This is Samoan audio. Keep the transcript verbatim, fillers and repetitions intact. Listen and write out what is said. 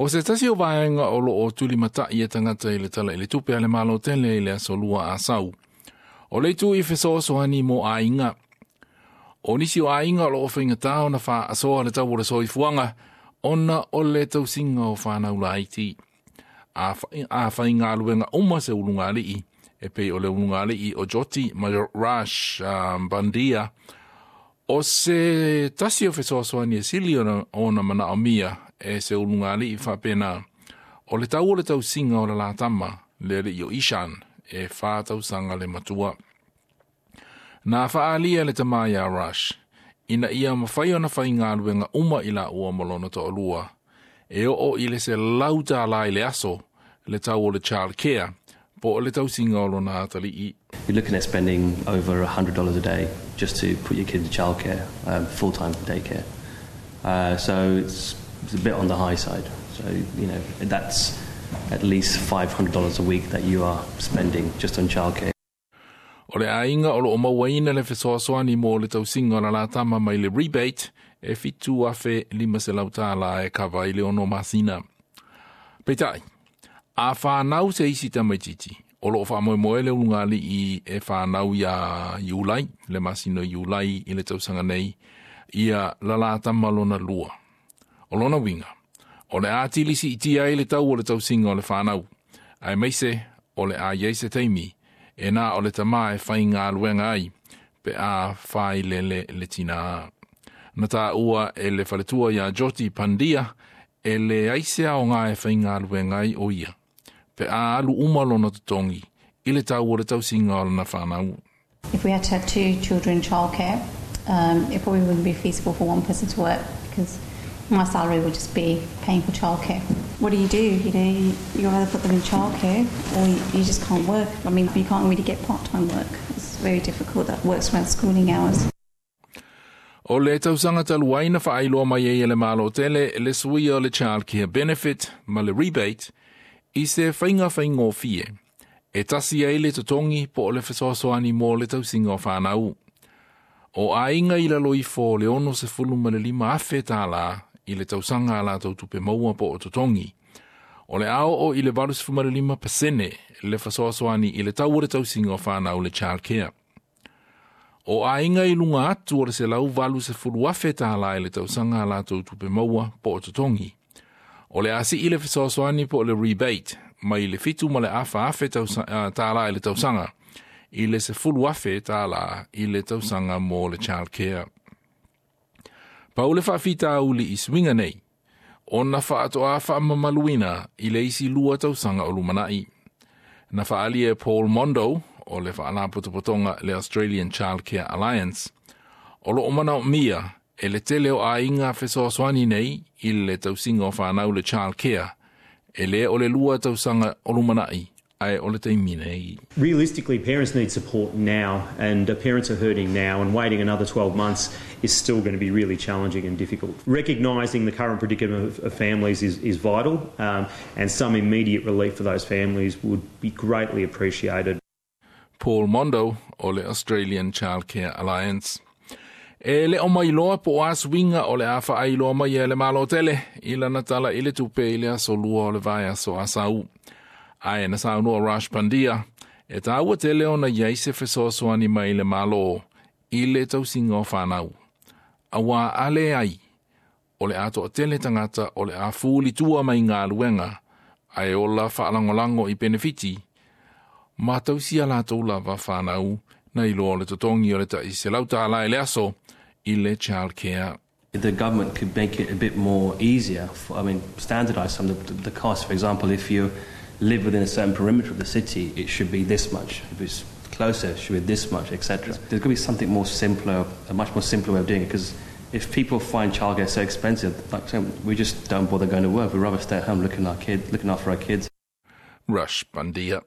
O se tasi o vaega o loo tulimata'i e tagata i le Tala i le Tupe a le Malo tele i le aso lua Asau. O le itu i fesoasoani mo aiga. O nisi o aiga o loo faigata ona faasoa le tau o le soifuaga ona o le tausiga o fanau laiti. A, a faigaluega uma se ulugalii e pei o le ulugalii o Joti ma Rush um, Bandia o se tasi o fesoasoani e sili ona, ona manaomia e se ulugalii faapena. O le tau o le tausiga o le latama le alii o Ishan e wha tausaga le matua. Na faalia le tama ia Rush, ina ia mawhai ona faigaluega uma i la ua molona to'alua. E oo i le selau tālā i le aso, le tau o le child care, po o le tausiga o lona atalii. You're looking at spending over a hundred dollars a day just to put your kids in childcare, um, full-time daycare. Uh, so it's, it's a bit on the high side. So, you know, that's at least five hundred dollars a week that you are spending just on childcare. O le aiga o loo mauaina le fesoasoani mo le tausiga o la latama mai le rebate e fitu afe lima selau tālā e kava i le ono masina. Peitai, a whanau se isi tamaititi, o loo whaamoemoe le ulugalii e whanau ia Iulai, le masina Iulai i le tausaga nei, ia la latama lona lua. O lona uiga, o le atili siitia ai le tau o le tausiga o le whanau, aemaise o le a iai se taimi, e na o le tama e faigaluega ai, pe a whailele le tina. Na taua e le faletua ia Joti Pandia, e leai se aoga e faigaluega ai o ia. Pe a alu uma lona totogi, i le tau o le tausiga o lana whanau. If we had to have two children in childcare, um, it probably wouldn't be feasible for one person to work because my salary would just be paying for childcare. What do you do? You know, you, you either put them in childcare or you, you just can't work. I mean, you can't really get part-time work. It's very difficult. That works around schooling hours. O le tausaga talu ai na faailoa mai ai e le Malo tele le suia o le child care benefit ma le rebate i se faiga faigofie. E tasi ai le totogi po o le fesoasoani mo le tausiga o whanau. O aiga i lalo ifo o le ono sefulu ma le lima afe tālā i le tausaga a latou tupe maua po o totogi. O le a oo i le valu sefulu ma le lima pasene le fesoasoani i le tau o le tausiga o whanau le child care. O aiga i luga atu o le selau valu sefulu afe tālā i le tausaga a latou tupe maua po o totogi. O le a sii le fesoasoani po o le rebate mai le fitu ma le afa afe tālā i le tausaga i le sefulu afe tālā i le tausaga mo le child care. Pau le faafitauli i suiga nei, ona faatoa faamamaluina i le isi lua tausaga o lumanai. Na faaalia e Paul Mondo o le faalapotopotoga le Australian Child Care Alliance, o loo manaomia e le tele o aiga fesoasoani nei i le tausiga o whanau le child care, e le o le lua tausaga o lumanai, ae o le taimi nei. Realistically, parents need support now, and uh, parents are hurting now, and waiting another twelve months is still going to be really challenging and difficult. Recognising the current predicament of, of families is, is vital, um, and some immediate relief for those families would be greatly appreciated. Paul Mondo o le Australian Child Care Alliance. E le o mailoa po o a suiga o le a faailoa mai e le Malo tele i lana Tala i le Tupe i le aso lua o le vaiaso Asau. Ae na saunoa Rush Pandia, e tāua tele ona iai se fesoasoani mai le Malo i le tausiga o whanau. Auā a leai, o le a toatele tagata o le a fuli tua mai galuega, ae ola faalagolago i penefiti, ma tausi a latou lava whanau na i loa le totogi o le tai selau tālā i le aso i le child care. The government could make it a bit more easier, for, I mean, standardise some of the, the costs. For example, if you live within a certain perimeter of the city, it should be this much. If it's closer, it should be this much, et cetera. There's got to be something more simpler, a much more simpler way of doing it, because if people find childcare so expensive, like saying, we just don't bother going to work. We'd rather stay at home looking, our kid, looking after our kids. Rush Bandia.